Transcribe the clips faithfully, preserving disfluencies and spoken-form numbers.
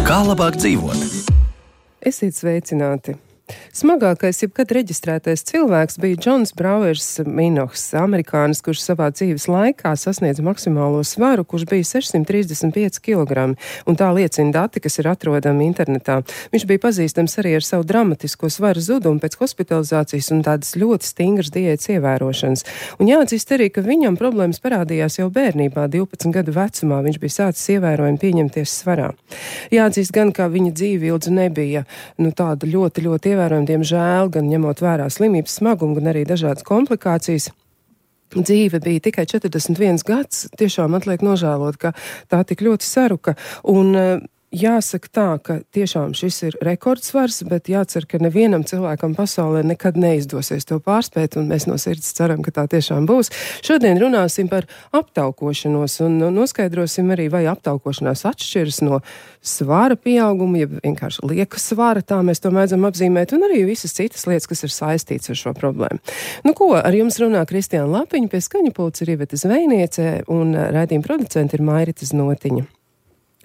Kā labāk dzīvot? Esiet sveicināti! Smagākais jebkad reģistrētais cilvēks bija Džons Brauers Minohs, amerikānis, kurš savā dzīves laikā sasniedza maksimālo svaru, kurš bija sešsimt trīsdesmit pieci kilogrami, un tā liecina dati, kas ir atrodami internetā. Viņš bija pazīstams arī ar savu dramatisko svaru zudumu pēc hospitalizācijas un tādas ļoti stingras diētas ievērošanas. Un jāatzīst arī, ka viņam problēmas parādījās jau bērnībā, divpadsmit gadu vecumā. Viņš bija sācis ievērojami pieņemties svarā. Jāatzīst gan, ka viņa dzīve ilgi nebija nu, tāda ļoti, ļoti ievērojama. Diemžēl, gan ņemot vērā slimības smagumu, gan arī dažādas komplikācijas. Dzīve bija tikai četrdesmit viens gads, tiešām atliek nožēlot, ka tā tik ļoti saruka. Un jāsaka tā, ka tiešām šis ir rekordsvars, bet jācer, ka nevienam cilvēkam pasaulē nekad neizdosies to pārspēt, un mēs no sirds ceram, ka tā tiešām būs. Šodien runāsim par aptaukošanos un noskaidrosim arī, vai aptaukošanās atšķiras no svara pieauguma, ja vienkārši lieka svara, tā mēs to mēdzam apzīmēt, un arī visas citas lietas, kas ir saistīts ar šo problēmu. Nu ko, ar jums runā Kristiāna Lapiņa, pie skaņa pults ir Iveta Zvejniece, un raidījuma producenti ir Mairita Znotiņa.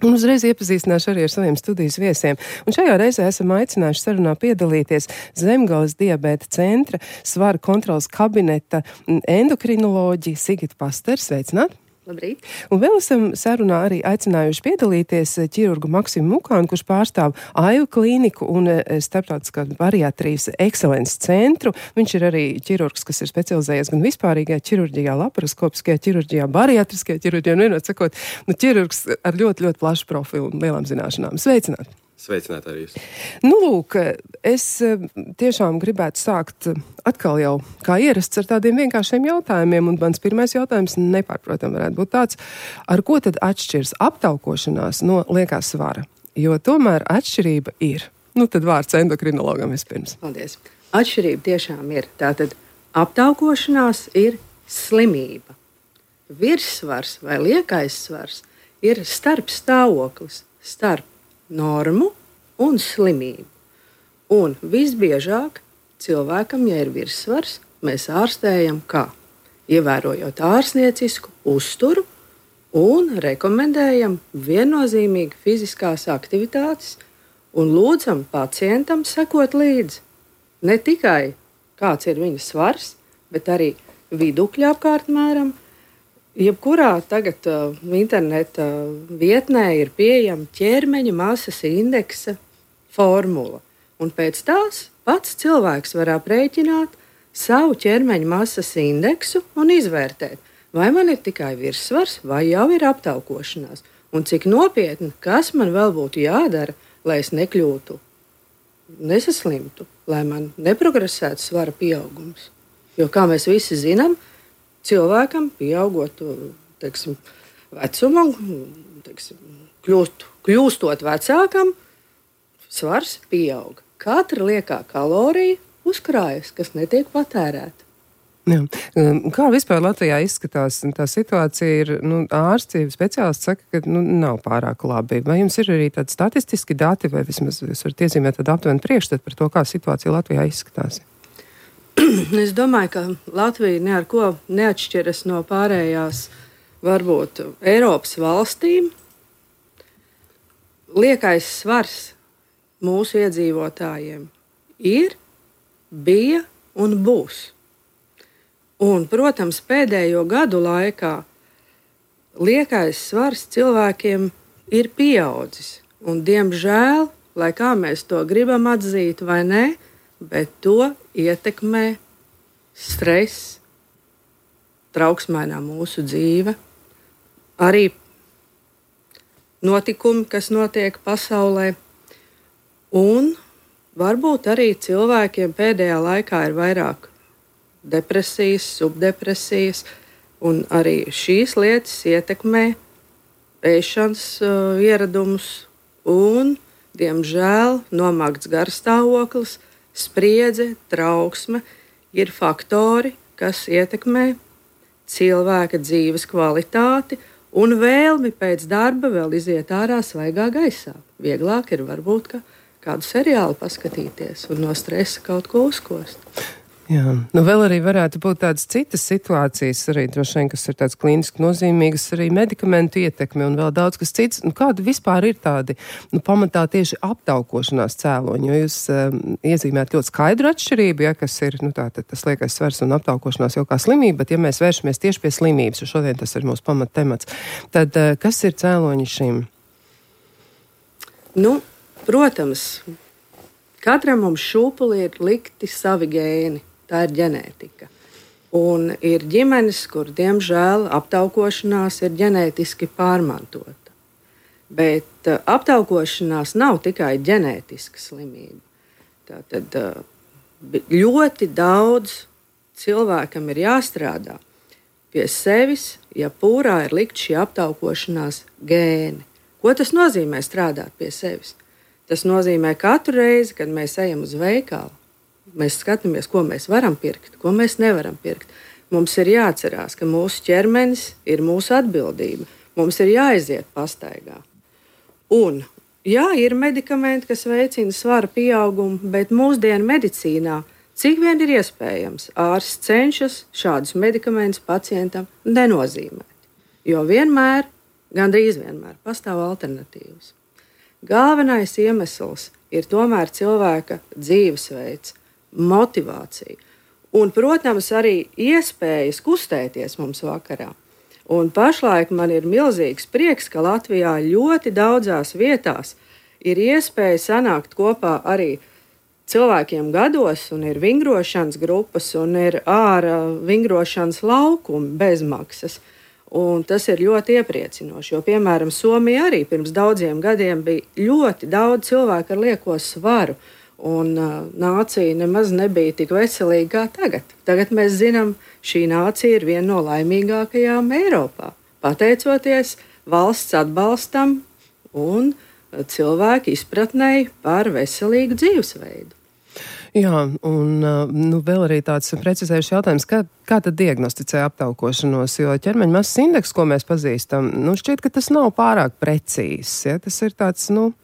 Un uzreiz iepazīstināšu arī ar saviem studijas viesiem. Un šajā reizē esam aicinājuši sarunā piedalīties Zemgales diabēta centra svara kontrolas kabineta endokrinoloģi Sigita Pasters. Sveicināt! Labrīt. Un vēl esam sarunā arī aicinājuši piedalīties ķirurgu Maksimu Mukānu, kurš pārstāv Aivu klīniku un starptautiskā bariatrijas ekscelences centru. Viņš ir arī ķirurgs, kas ir specializējies gan vispārīgajā ķirurģijā, laparoskopiskajā ķirurģijā, bariatriskajā ķirurģijā, un vienot sakot, nu, ķirurgs ar ļoti, ļoti plašu profilu un lielām zināšanām. Sveicināt! Sveicināt arī jūs. Nu, lūk, es tiešām gribētu sākt atkal jau kā ierasts ar tādiem vienkāršiem jautājumiem, un mans pirmais jautājums nepārprotam varētu būt tāds, ar ko tad atšķirs aptaukošanās no liekā svara? Jo tomēr atšķirība ir. Nu, tad vārds endokrinologam vispirms. Paldies. Atšķirība tiešām ir. Tātad aptaukošanās ir slimība. Virssvars vai liekais svars ir starp stāvoklis, starp normu un slimību. Un visbiežāk cilvēkam, ja ir virssvars, mēs ārstējam kā? Ievērojot ārstniecisku uzturu un rekomendējam viennozīmīgi fiziskās aktivitātes un lūdzam pacientam sekot līdzi. Ne tikai kāds ir viņa svars, bet arī vidukļa apkārtmēram. Jebkurā tagad uh, interneta vietnē ir pieejama ķermeņa masas indeksa formula. Un pēc tās pats cilvēks var aprēķināt savu ķermeņa masas indeksu un izvērtēt, vai man ir tikai virssvars, vai jau ir aptaukošanās. Un cik nopietni, kas man vēl būtu jādara, lai es nekļūtu, nesaslimtu, lai man neprogresētu svara pieaugums. Jo, kā mēs visi zinām, cilvēkam, pieaugot teiksim, vecumam, teiksim, kļūst, kļūstot vecākam, svars pieaug. Katra liekā kalorija uzkrājas, kas netiek patērēta. Jā. Kā vispār Latvijā izskatās tā situācija? Ir, nu, ārsti, speciālisti saka, ka nu, nav pārāk labi. Vai jums ir arī tādi statistiski dati, vai vismaz jūs varat iezīmēt tādu aptuvenu priekšstatu par to, kā situācija Latvijā izskatās? Es domāju, ka Latvija ne ar ko neatšķiras no pārējās, varbūt, Eiropas valstīm. Liekais svars mūsu iedzīvotājiem ir, bija un būs. Un, protams, pēdējo gadu laikā liekais svars cilvēkiem ir pieaudzis. Un, diemžēl, lai kā mēs to gribam atzīt vai ne, bet to ietekmē stress, trauksmainā mūsu dzīve, arī notikumi, kas notiek pasaulē. Un varbūt arī cilvēkiem pēdējā laikā ir vairāk depresijas, subdepresijas, un arī šīs lietas ietekmē ēšanas uh, ieradumus un, diemžēl, nomākts garstāvoklis, spriedze, trauksme ir faktori, kas ietekmē cilvēka dzīves kvalitāti un vēlmi pēc darba vēl iziet ārā svaigā gaisā. Vieglāk ir varbūt ka kādu seriālu paskatīties un no stresa kaut ko uzkost. Jā, nu vēl arī varētu būt tādas citas situācijas, arī droši vien, kas ir tāds klīniski nozīmīgas, arī medikamentu ietekme un vēl daudz kas cits. Nu, kāda vispār ir tādi, nu, pamatā tieši aptaukošanās cēloņi, jo jūs um, iezīmējat ļoti skaidru atšķirību, ja, kas ir, nu, tātad tas liekais svars un aptaukošanās jau kā slimība, bet ja mēs vēršamies tieši pie slimības, jo šodien tas ir mūsu pamat temats, tad uh, kas ir cēloņi šim? Nu, protams, katram mums šūpuli ir likti savi gēni. Tā ir ģenētika. Un ir ģimenes, kur, diemžēl, aptaukošanās ir ģenētiski pārmantota. Bet uh, aptaukošanās nav tikai ģenētiska slimība. Tātad uh, ļoti daudz cilvēkam ir jāstrādā pie sevis, ja pūrā ir likt šī aptaukošanās gēni. Ko tas nozīmē strādāt pie sevis? Tas nozīmē katru reizi, kad mēs ejam uz veikalu, mēs skatāmies, ko mēs varam pirkt, ko mēs nevaram pirkt. Mums ir jāatcerās, ka mūsu ķermenis ir mūsu atbildība. Mums ir jāiziet pastaigā. Un, jā, ir medikamenti, kas veicina svara pieaugumu, bet mūsdienu medicīnā, cik vien ir iespējams, ārsts cenšas šādus medikamentus pacientam nenozīmēt. Jo vienmēr, gandrīz vienmēr, pastāv alternatīvas. Galvenais iemesls ir tomēr cilvēka dzīvesveids, motivācija un, protams, arī iespējas kustēties mums vakarā. Un pašlaik man ir milzīgs prieks, ka Latvijā ļoti daudzās vietās ir iespēja sanākt kopā arī cilvēkiem gados, un ir vingrošanas grupas, un ir ārā vingrošanas laukumi bez maksas. Un tas ir ļoti iepriecinoši, jo, piemēram, Somija arī pirms daudziem gadiem bija ļoti daudz cilvēku ar lieko svaru. Un uh, nācija nemaz nebija tik veselīga kā tagad. Tagad mēs zinām, šī nācija ir viena no laimīgākajām Eiropā. Pateicoties valsts atbalstam un cilvēku izpratnei par veselīgu dzīvesveidu. Jā, un nu, vēl arī tāds precizējuši jautājums, kā, kā tad diagnosticē aptaukošanos, jo ķermeņa masas indeks, ko mēs pazīstam, nu šķiet, ka tas nav pārāk precīzs, ja? Tas ir tāds, nu,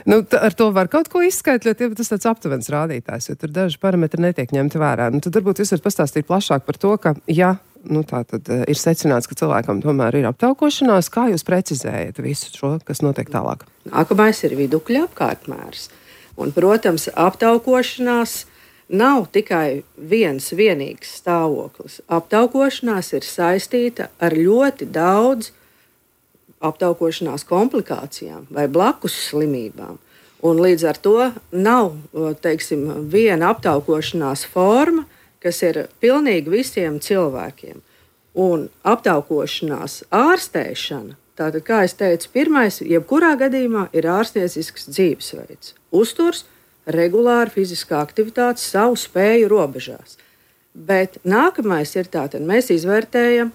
nu t- ar to var kaut ko izskaitļot, ja tas tāds aptuvens rādītājs, jo tur daži parametri netiek ņemti vērā. Nu, tad varbūt jūs varat pastāstīt plašāk par to, ka, ja, nu tā tad ir secināts, ka cilvēkam tomēr ir aptaukošanās, kā jūs precizējat visu šo, kas notiek tālāk? Nākamais ir vidukļa apkārtmērs. Un, protams, aptaukošanās nav tikai viens vienīgs stāvoklis. Aptaukošanās ir saistīta ar ļoti daudz aptaukošanās komplikācijām vai blakus slimībām. Un līdz ar to nav, teiksim, viena aptaukošanās forma, kas ir pilnīgi visiem cilvēkiem. Un aptaukošanās ārstēšana, tātad, kā es teicu, pirmais, jebkurā gadījumā ir ārstniecisks dzīvesveids. Uzturs, regulāra fiziskā aktivitāte savu spēju robežās. Bet nākamais ir tātad, mēs izvērtējam,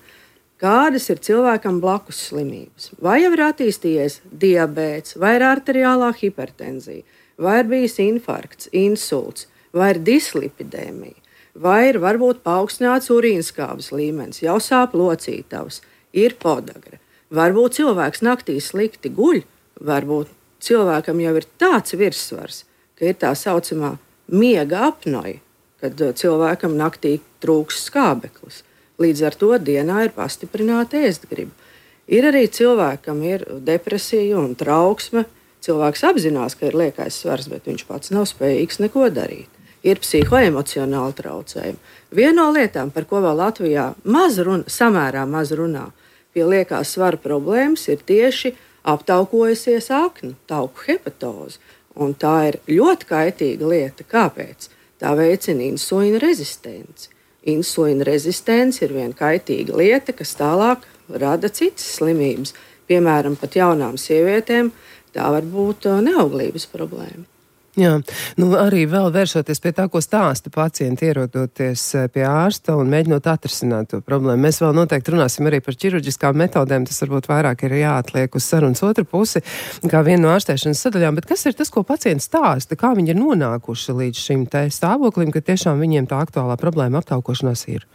kādas ir cilvēkam blakus slimības. Vai jau ir attīstījies diabēts, vai ir arteriālā hipertenzija, vai ir bijis infarkts, insults, vai ir dislipidēmija, vai ir varbūt paaugstināts urīnskābes līmenis, jau sāp locītavas, ir podagra. Varbūt cilvēks naktī slikti guļ, varbūt cilvēkam jau ir tāds virssvars, ka ir tā saucamā miega apnoja, kad cilvēkam naktī trūks skābeklis. Līdz ar to dienā ir pastiprināta ēstgriba. Ir arī cilvēkam ir depresija un trauksme. Cilvēks apzinās, ka ir liekais svars, bet viņš pats nav spējīgs neko darīt. Ir psihoemocionāli traucējumi. Viena no lietām, par ko vēl Latvijā maz runa, samērā maz runā, pie liekās svara problēmas ir tieši aptaukojusies akna, tauku hepatoze. Un tā ir ļoti kaitīga lieta. Kāpēc? Tā veicina insulīna rezistenci. Insulīna rezistence ir viena kaitīga lieta, kas tālāk rada citas slimības. Piemēram, pat jaunām sievietēm tā var būt neauglības problēma. Jā, nu arī vēl vēršoties pie tā, ko stāsta pacienti, ierodoties pie ārsta un mēģinot atrisināt to problēmu. Mēs vēl noteikti runāsim arī par ķirurģiskām metodēm, tas varbūt vairāk ir jāatliek uz sarunas otru pusi, kā viena no ārstēšanas sadaļām, bet kas ir tas, ko pacienti stāsta, kā viņi ir nonākuši līdz šim te stāvoklim, ka tiešām viņiem tā aktuālā problēma aptaukošanās ir?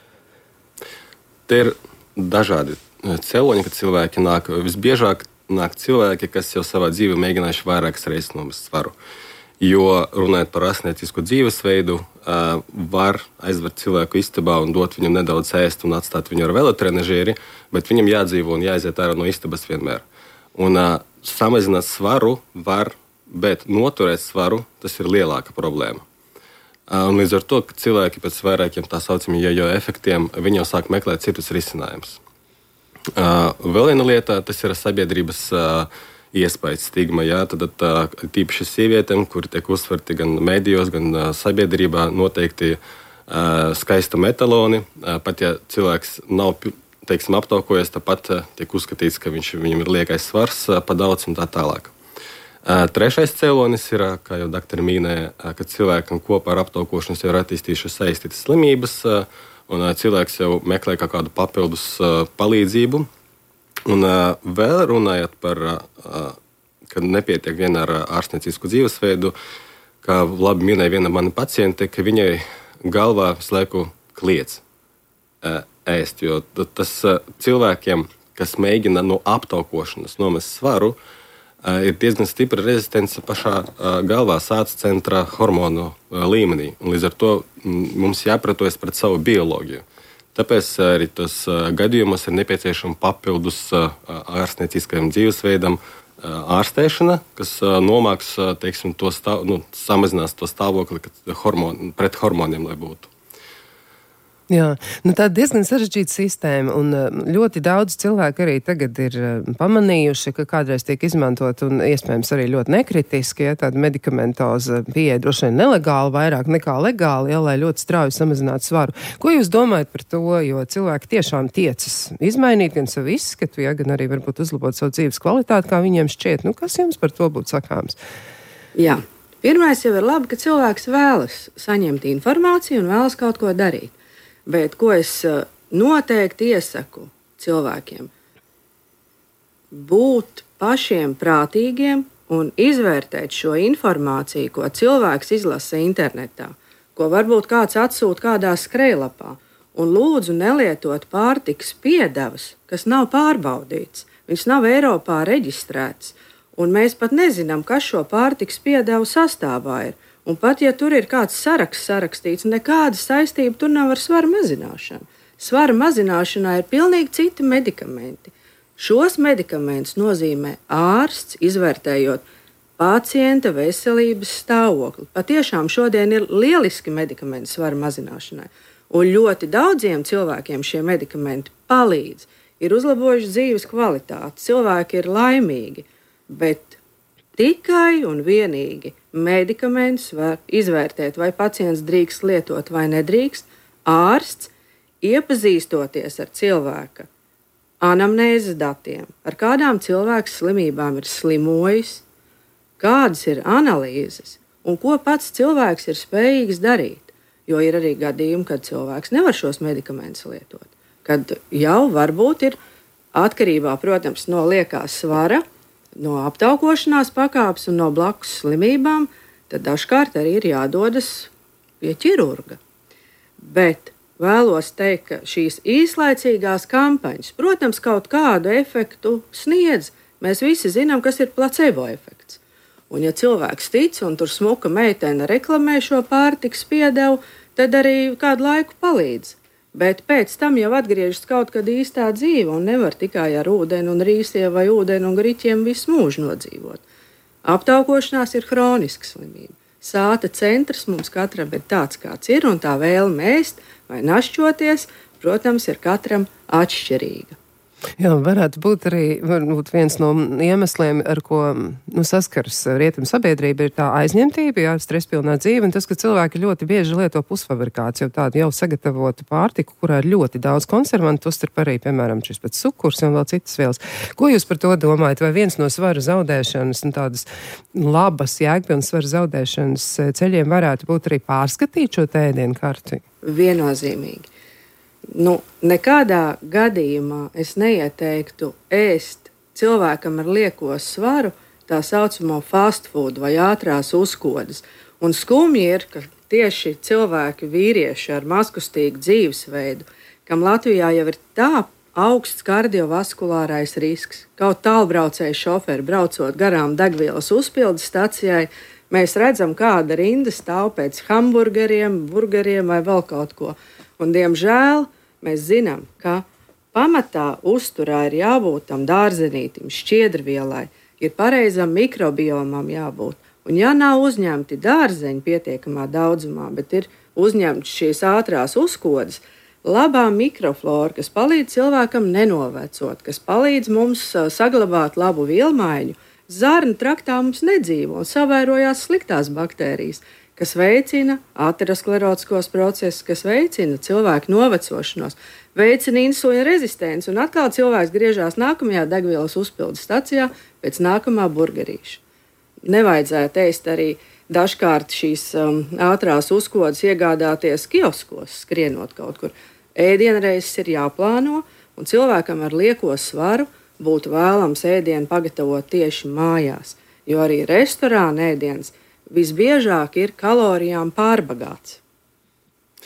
Te ir dažādi cēloņi, kad cilvēki nāk. Visbiežāk nāk cilvēki, kas jau savā dzīvē mēģinājuši vairākas reizes nomest svaru. Jo runājot par ārstniecisku dzīvesveidu, var aizvert cilvēku istabā un dot viņam nedaudz ēst un atstāt viņu ar velotrenažieri, bet viņam jādzīvo un jāaiziet ārā no istabas vienmēr. Un samazināt svaru var, bet noturēt svaru, tas ir lielāka problēma. Un līdz ar to, ka cilvēki pēc vairākiem tā saucamiem jojo efektiem, viņi jau sāk meklēt citus risinājumus. Vēl viena lieta, tas ir sabiedrības iespējas stigma, jā, tad tīpaši sievietēm, kuri tiek uzsverti gan medijos, gan sabiedrībā, noteikti skaista metaloni. Pat ja cilvēks nav, teiksim, aptaukojies, tāpat tiek uzskatīts, ka viņš, viņam ir liekais svars pa daudz un tā tālāk. Trešais cēlonis ir, kā jau doktori minēja, ka cilvēkam kopā ar aptaukošanos jau ir attīstījušas saistītas slimības, un cilvēks jau meklē kaut kādu papildus palīdzību. Un uh, vēl runājot par, uh, ka nepietiek vien ar ārstniecisku dzīvesveidu, kā labi minēja viena mana paciente, ka viņai galvā visu laiku kliedz uh, ēst, jo tas uh, cilvēkiem, kas mēģina no aptaukošanas nomest svaru, uh, ir diezgan stipra rezistence pašā uh, galvā, sāca centra hormonu uh, līmenī. Un līdz ar to m, mums jāpratojas pret savu bioloģiju. Tāpēc arī tos gadījumos ir nepieciešama papildus ārstnieciskajam dzīvesveidam ārstēšana, kas nomāks, teiksim, to stāv, nu, samazinās to stāvokli hormon, pret hormoniem, lai būtu. Jā, nu tā diezgan sarežģīta sistēma, un ļoti daudz cilvēku arī tagad ir pamanījuši, ka kādreiz tiek izmantot, un iespējams arī ļoti nekritiski, ja tāda medikamentoza pieeja droši vien nelegāli vairāk nekā legāli, ja, lai ļoti strauji samazinātu svaru. Ko jūs domājat par to, jo cilvēki tiešām tiecas izmainīt gan savu izskatu, ja, gan arī varbūt uzlabot savu dzīves kvalitāti, kā viņiem šķiet? Nu, kas jums par to būtu sakāms? Jā, pirmais jau ir labi, ka cilvēks vēlas saņemt informāciju un vēlas kaut ko darīt. Bet ko es noteikti iesaku cilvēkiem? Būt pašiem prātīgiem un izvērtēt šo informāciju, ko cilvēks izlasa internetā, ko varbūt kāds atsūta kādā skrejlapā. Un lūdzu nelietot pārtikas piedevas, kas nav pārbaudīts. Viņš nav Eiropā reģistrēts. Un mēs pat nezinām, kas šo pārtikas piedevu sastāvā ir. Un pat, ja tur ir kāds saraksts sarakstīts, nekāda saistība tur nav ar svaru mazināšanu. Svara mazināšanā ir pilnīgi citi medikamenti. Šos medikamentus nozīmē ārsts, izvērtējot pacienta veselības stāvokli. Patiešām šodien ir lieliski medikamenti svara mazināšanai. Un ļoti daudziem cilvēkiem šie medikamenti palīdz, ir uzlabojuši dzīves kvalitāti, cilvēki ir laimīgi, bet tikai un vienīgi medikamentus var izvērtēt, vai pacients drīkst lietot vai nedrīkst. Ārsts, iepazīstoties ar cilvēka anamnēzes datiem, ar kādām cilvēks slimībām ir slimojis, kādas ir analīzes un ko pats cilvēks ir spējīgs darīt. Jo ir arī gadījumi, kad cilvēks nevar šos medikamentus lietot. Kad jau varbūt ir atkarībā, protams, no liekās svara, no aptaukošanās pakāpes un no blakus slimībām, tad dažkārt arī ir jādodas pie ķirurga. Bet vēlos teikt, ka šīs īslaicīgās kampaņas, protams, kaut kādu efektu sniedz. Mēs visi zinām, kas ir placebo efekts. Un ja cilvēks tic un tur smuka meitene reklamē šo pārtikas piedevu, tad arī kādu laiku palīdz. Bet pēc tam jau atgriežas kaut kad īstā dzīve un nevar tikai ar ūdeni un rīsiem vai ūdeni un griķiem visu mūžu nodzīvot. Aptaukošanās ir hroniska slimība. Sāta centrs mums katram ir tāds, kāds ir, un tā vēlme ēst vai našķoties, protams, ir katram atšķirīga. Jā, varētu būt arī varbūt viens no iemesliem, ar ko nu, saskars rietumu sabiedrība, ir tā aizņemtība, jā, stresspilnā dzīve, un tas, ka cilvēki ļoti bieži lieto pusfabrikāts, jau tādu jau sagatavotu pārtiku, kurā ir ļoti daudz konservantu, uzturp arī, piemēram, šis pēc cukurs un vēl citas vielas. Ko jūs par to domājat? Vai viens no svara zaudēšanas un tādas labas, jēgpilnas svara zaudēšanas ceļiem varētu būt arī pārskatīt šo ēdienu karti? Viennozīmīgi. Nu, nekādā gadījumā es neieteiktu ēst cilvēkam ar lieko svaru tā saucamo fast food vai ātrās uzkodas. Un skumji ir, ka tieši cilvēki, vīrieši ar mazkustīgu dzīvesveidu, kam Latvijā jau ir tā augsts kardiovaskulārais risks. Kaut tālbraucēju šoferi braucot garām degvielas uzpildes stacijai, mēs redzam, kāda rinda stāv pēc hamburgeriem, burgeriem vai vēl kaut ko. Un, diemžēl, mēs zinām, ka pamatā uzturā ir jābūt tam dārzenītim, šķiedrvielai, ir pareizam mikrobiomam jābūt. Un ja nav uzņemti dārzeņi pietiekamā daudzumā, bet ir uzņemts šīs ātrās uzkodas, labā mikroflora, kas palīdz cilvēkam nenovecot, kas palīdz mums saglabāt labu vielmaiņu, zarnu traktā mums nedzīvo un savairojās sliktās baktērijas, kas veicina aterosklerotiskos procesus, kas veicina cilvēku novecošanos, veicina insulīna rezistenci, un atkal cilvēks griežās nākamajā degvielas uzpildes stacijā pēc nākamā burgerīša. Nevajadzētu ēst arī dažkārt šīs um, ātrās uzkodas iegādāties kioskos, skrienot kaut kur. Ēdienreizes ir jāplāno, un cilvēkam ar lieko svaru būtu vēlams ēdienu pagatavot tieši mājās, jo arī restorāna ēdiens visbiežāk ir kalorijām pārbagāts.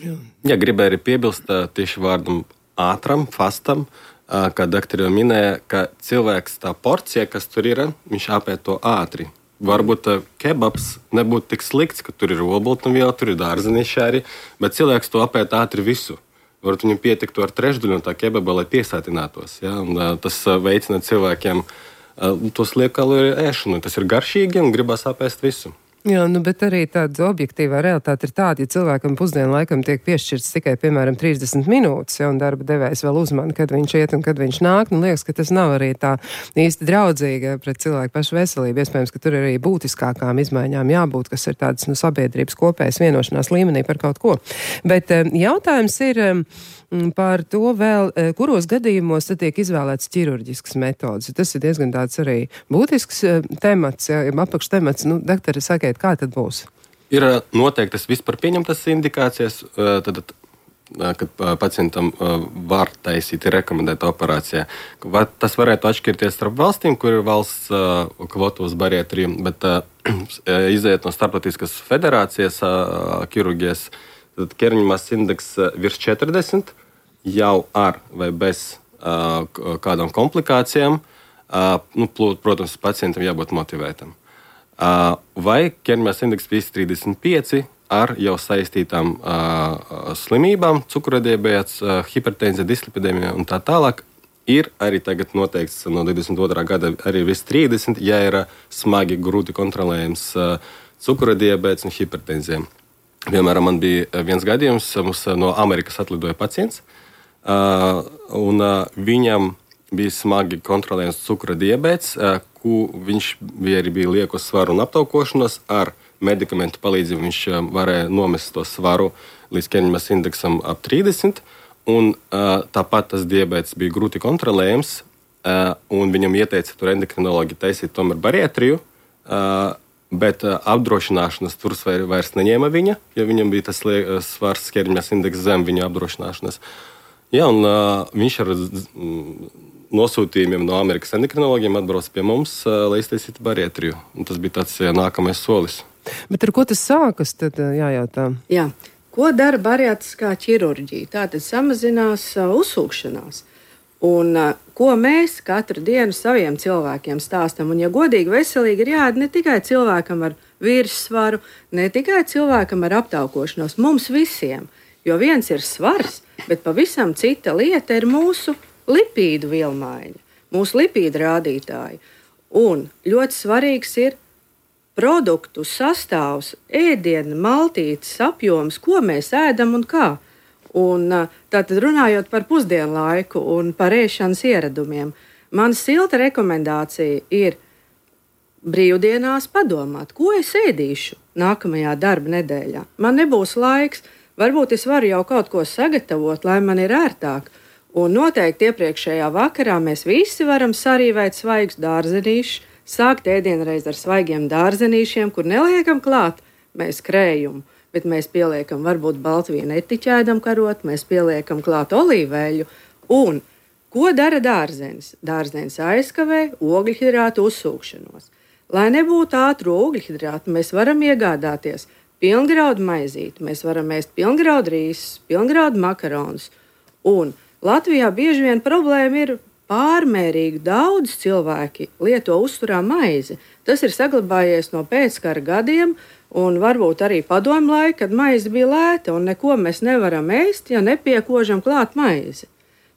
Jā, gribēju arī piebilst tieši vārdam ātram, fastam, kā doktori jau minēja, ka cilvēks tā porcija, kas tur ir, viņš apēd to ātri. Varbūt kebabs nebūtu tik slikts, ka tur ir olbaltumviela, tur ir dārzenīši arī, bet cilvēks to apēd ātri visu. Varbūt viņam pietiktu ar trešdaļu no tā kebaba, lai piesātinātos. Ja? Un, tas veicina cilvēkiem tos liekkaloriju ēšanu. Tas ir garšīgi un gribas apēst visu. Jā, nu, bet arī tāda objektīvā realitāte ir tāda, ja cilvēkam pusdienu laikam tiek piešķirts tikai, piemēram, trīsdesmit minūtes, ja, un darba devējs vēl uzmana, kad viņš iet un kad viņš nāk, nu, liekas, ka tas nav arī tā īsti draudzīga pret cilvēku pašu veselību. Iespējams, ka tur ir arī būtiskākām izmaiņām jābūt, kas ir tādas, nu, sabiedrības kopējas vienošanās līmenī par kaut ko. Bet jautājums ir par to vēl, kuros gadījumos tad tiek izvēlēts ķirurģisks metodas. Tas ir diezgan tāds arī būtisks temats, ja, apakštemats. Nu, doktori, sakiet, kā tad būs? Ir noteiktas vispār pieņemtas indikācijas, tad, kad pacientam var taisīt rekomendēta operācija. Tas varētu atšķirties starp valstīm, kur ir valsts kvotu uz bariatriju, bet iziet no starptautiskas federācijas ķirurģijas, tad ķermeņa masas indeks virs četrdesmit jau ar vai bez uh, kādām komplikācijām. Uh, nu, protams, pacientam jābūt motivētam. Uh, vai ķermeņa masas indeks virs trīsdesmit pieci ar jau saistītām uh, slimībām, cukurdiabēts, uh, hipertenzija, dislipidēmija un tā tālāk, ir arī tagad noteikts no divdesmit otrā gada arī virs trīsdesmit, ja ir smagi, grūti kontrolējams uh, cukurdiabēts un hipertenzija. Piemēram, man bija viens gadījums, mums no Amerikas atlidoja pacients, uh, un uh, viņam bija smagi kontrolējams cukura diabēts, uh, ku viņš bija arī bija lieku svaru un aptaukošanos. Ar medikamentu palīdzību viņš uh, varēja nomest to svaru līdz ķermeņa masas indeksam ap trīsdesmit, un uh, tāpat tas diabēts bija grūti kontrolējams, uh, un viņam ieteica tur endokrinologi taisīt tomēr bariatriju, uh, bet uh, apdrošināšanas tur vairs neņēma viņa, ja viņam bija tas uh, svars ķermeņa masas indeks zem viņa apdrošināšanas. Jā, un uh, viņš ar mm, nosūtījumiem no Amerikas endokrinologiem atbrauca pie mums, uh, lai iztaisītu bariatriju. Un tas bija tāds uh, nākamais solis. Bet ar ko tas sākas, tad uh, jājautā? Jā. Ko dara bariatriskā ķirurģija? Tātad samazinās uh, uzsūkšanās. Un, uh, ko mēs katru dienu saviem cilvēkiem stāstam? Un, ja godīgi veselīgi ir jāēd ne tikai cilvēkam ar virssvaru, ne tikai cilvēkam ar aptaukošanos, mums visiem. Jo viens ir svars, bet pavisam cita lieta ir mūsu lipīdu vielmaiņa, mūsu lipīdu rādītāji. Un ļoti svarīgs ir produktu sastāvs, ēdiena, maltītes apjoms, ko mēs ēdam un kā. Un, tātad runājot par pusdienu laiku un par ēšanas ieradumiem, man silta rekomendācija ir brīvdienās padomāt, ko es ēdīšu nākamajā darba nedēļā. Man nebūs laiks, varbūt es varu jau kaut ko sagatavot, lai man ir ērtāk. Un noteikti iepriekšējā vakarā mēs visi varam sarīvēt svaigus dārzenīšus, sākt ēdienreiz ar svaigiem dārzenīšiem, kur neliekam klāt mēs krējumu. Bet mēs pieliekam varbūt baltvīnu etiķēdam karot, mēs pieliekam klāt olīveļu. Un ko dara dārzenis? Dārzenis aizkavē ogļhidrātu uzsūkšanos. Lai nebūtu ātru ogļhidrātu, mēs varam iegādāties pilngraudu maizīti, mēs varam ēst pilngraudu rīsus, pilngraudu makaronus. Un Latvijā bieži vien problēma ir pārmērīgi daudz cilvēki lieto uzturā maizi. Tas ir saglabājies no pēckara gadiem, un varbūt arī padomu laika, kad maize bija lēta, un neko mēs nevaram ēst, ja nepiekožam klāt maizi.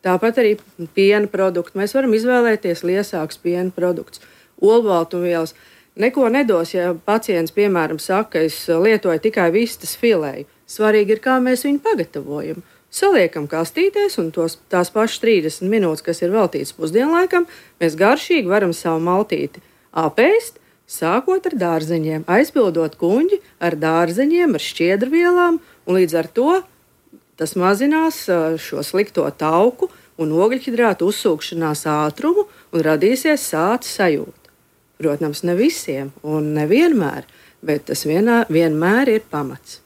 Tāpat arī piena produkti. Mēs varam izvēlēties liesākus piena produktus, olbaltumvielas. Neko nedos, ja pacients, piemēram, saka, ka es lietoju tikai vistas filēju. Svarīgi ir, kā mēs viņu pagatavojam. Saliekam kastītēs, un tos, tās pašas trīsdesmit minūtes, kas ir veltītas pusdienlaikam, mēs garšīgi varam savu maltīti apēst, sākot ar dārzeņiem, aizpildot kuņģi ar dārzeņiem, ar šķiedrvielām, un līdz ar to tas mazinās šo slikto tauku un ogļhidrātu uzsūkšanās ātrumu un radīsies sāta sajūta. Protams, ne visiem un nevienmēr, bet tas vienā, vienmēr ir pamats.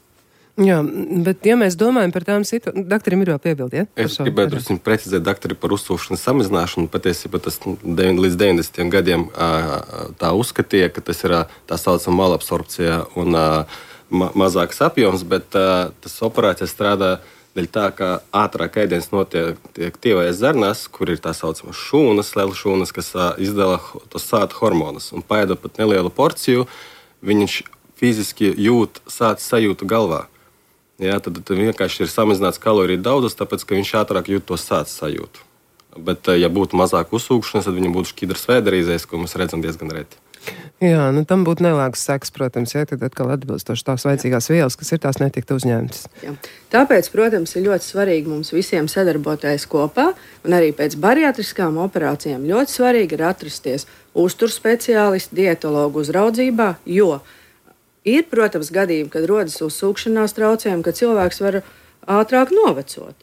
Jā, bet ja mēs domājam par tām situācijām, doktorim ir jau piebildi, ja? Es gribētu drusku precizēt doktori par uzsūkšanas samazināšanu. Patiesībā tas līdz deviņdesmitajiem gadiem tā uzskatīja, ka tas ir tā saucama malabsorpcija un ma mazāks apjoms, bet tas operācija strādā dēļ tā, ka ātrāk ēdiens notiek tievajās zarnās, kur ir tā saucama šūnas, liela šūnas, kas izdala tos sāta hormonus. Un paēdot pat nelielu porciju, viņš fiziski jūt sāta sajūtu galvā. Jā, tad, tad vienkārši ir samazināts kaloriju daudzums, tāpēc, ka viņš ātrāk jūt to sāta sajūtu. Bet, ja būtu mazāk uzsūkšanas, tad viņam būtu šķidrs vēderīzēs, ko mēs redzam diezgan reti. Jā, nu tam būtu nelāks seks, protams, ja tad atkal atbilstoši tās vajadzīgās vielas, kas ir tās netiktu uzņemtas. Jā. Tāpēc, protams, ir ļoti svarīgi mums visiem sadarboties kopā, un arī pēc bariatriskām operācijām ļoti svarīgi ir atrasties uzturspeciālisti, dietologu uzraudzībā, jo ir, protams, gadījumi, kad rodas uzsūkšanās traucējumi, kad cilvēks var ātrāk novecot,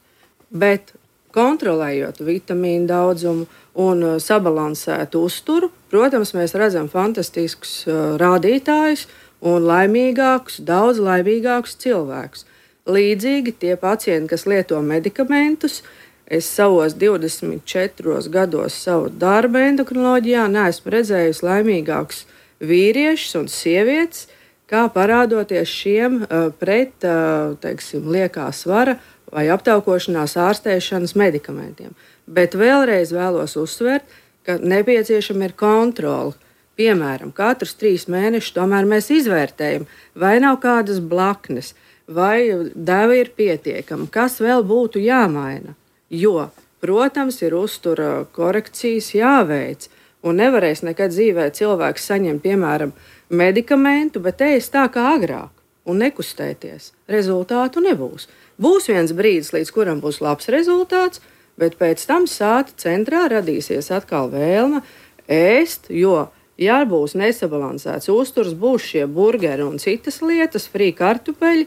bet kontrolējot vitamīnu daudzumu un sabalansētu uzturu, protams, mēs redzam fantastiskus uh, rādītājus un laimīgākus, daudz laimīgākus cilvēkus. Līdzīgi tie pacienti, kas lieto medikamentus, es savos divdesmit četros gados savu darbu endokrinoloģijā neesmu redzējusi laimīgākus vīriešus un sievietes, kā parādoties šiem uh, pret, uh, teiksim, liekā svara vai aptaukošanās ārstēšanas medikamentiem. Bet vēlreiz vēlos uzsvērt, ka nepieciešama ir kontrole. Piemēram, katrus trīs mēnešus tomēr mēs izvērtējam, vai nav kādas blaknes, vai deva ir pietiekama, kas vēl būtu jāmaina. Jo, protams, ir uztura korekcijas jāveic, un nevarēs nekad dzīvē cilvēks saņemt, piemēram, medikamentu, bet ēst tā kā agrāk un nekustēties. Rezultātu nebūs. Būs viens brīdis, līdz kuram būs labs rezultāts, bet pēc tam sāta centrā radīsies atkal vēlme ēst, jo, ja būs nesabalansēts uzturs, būs šie burgeri un citas lietas, frī kartupeļi,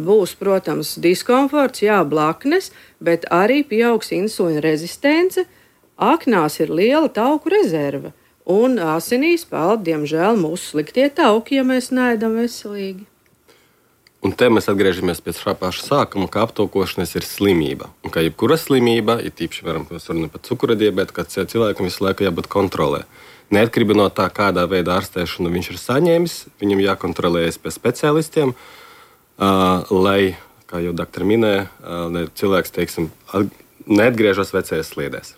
būs, protams, diskomforts, jā, blaknes, bet arī pieaugs insulīna rezistence, aknās ir liela tauku rezerve. Un asinīs peld, diemžēl, mūsu sliktie tauki, ja mēs neēdam veselīgi. Un te mēs atgriežamies pie šā paša sākuma, ka aptaukošanās ir slimība. Un ka jebkura slimība, ir tīpaši, varam runāt par cukura diabētu, ka cilvēkam visu laiku jābūt kontrolē. Neatkarīgi no tā, kādā veidā ārstēšanu viņš ir saņēmis, viņam jākontrolējas pie speciālistiem, uh, lai, kā jau doktori minēja, uh, cilvēks, teiksim, neatgriežas vecajās sliedēs.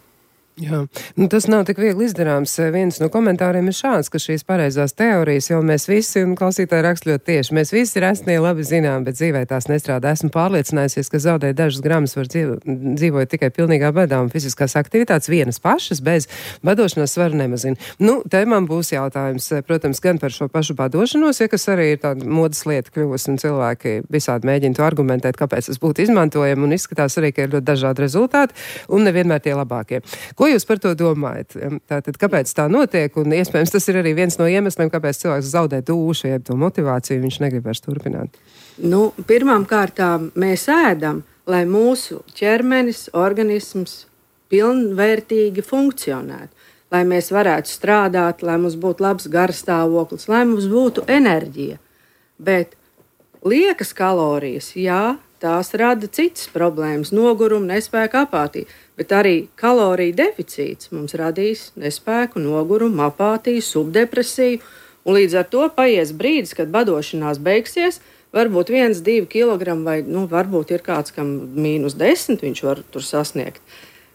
Jā, nu, tas nav tik viegli izdarāms. Viens no komentāriem ir šāds, ka šīs pareizās teorijas jau mēs visi, un klausītāji raksta ļoti tieši, mēs visi rastnie labi zinām, bet dzīvē tās nestrādā. Esmu pārliecinājusies, ka zaudēt dažus gramus var dzīvo, dzīvot tikai pilnīgā badā, un fiziskās aktivitātes vienas pašas bez badošanās svaru nemazina. Nu, te man būs jautājums, protams, gan par šo pašu badošanos, ja kas arī ir tāda modas lieta kļuvusi, un cilvēki visādi mēģina to argumentēt, kāpēc tas būtu izmantojami, un izskatās arī, ka ir ļoti dažādi rezultāti, un nevienmēr tie labākie. Ko jūs par to domājat? Tātad, kāpēc tā notiek? Un iespējams, tas ir arī viens no iemesliem, kāpēc cilvēks zaudē dušu, jeb to motivāciju, viņš negrib vairs turpināt. Nu, pirmām kārtām mēs ēdam, lai mūsu ķermenis, organisms pilnvērtīgi funkcionētu, lai mēs varētu strādāt, lai mums būtu labs garstāvoklis, lai mums būtu enerģija. Bet liekas kalorijas, jā, tās rada citas problēmas, nogurumu, nespēku, apātiju, bet arī kaloriju deficīts mums radīs nespēku, nogurumu, apātiju, subdepresiju, un līdz ar to paies brīdis, kad badošanās beigsies, varbūt viens, divi kilogrami, vai nu, varbūt ir kāds, kam mīnus desmit viņš var tur sasniegt.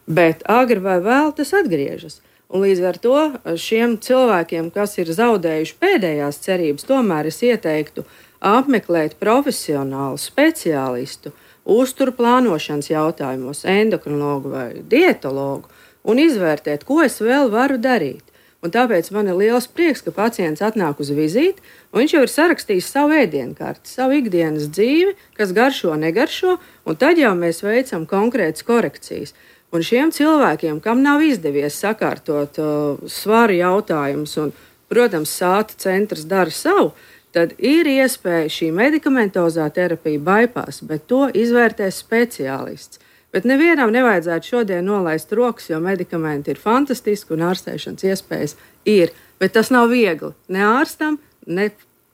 Bet agri vai vēl tas atgriežas. Un līdz ar to šiem cilvēkiem, kas ir zaudējuši pēdējās cerības, tomēr es ieteiktu apmeklēt profesionālu speciālistu uzturu plānošanas jautājumos, endokrinologu vai dietologu un izvērtēt, ko es vēl varu darīt. Un tāpēc man ir liels prieks, ka pacients atnāk uz vizīti, un viņš jau ir sarakstījis savu ēdienkarti, savu ikdienas dzīvi, kas garšo, negaršo, un tad jau mēs veicam konkrētas korekcijas. Un šiem cilvēkiem, kam nav izdevies sakārtot uh, svaru jautājumus, un, protams, sāta centrs dara savu, tad ir iespēja šī medikamentozā terapija bypass, bet to izvērtēs speciālists. Bet nevienam nevajadzētu šodien nolaist rokas, jo medikamenti ir fantastiski un ārstēšanas iespējas ir. Bet tas nav viegli ne ārstam, ne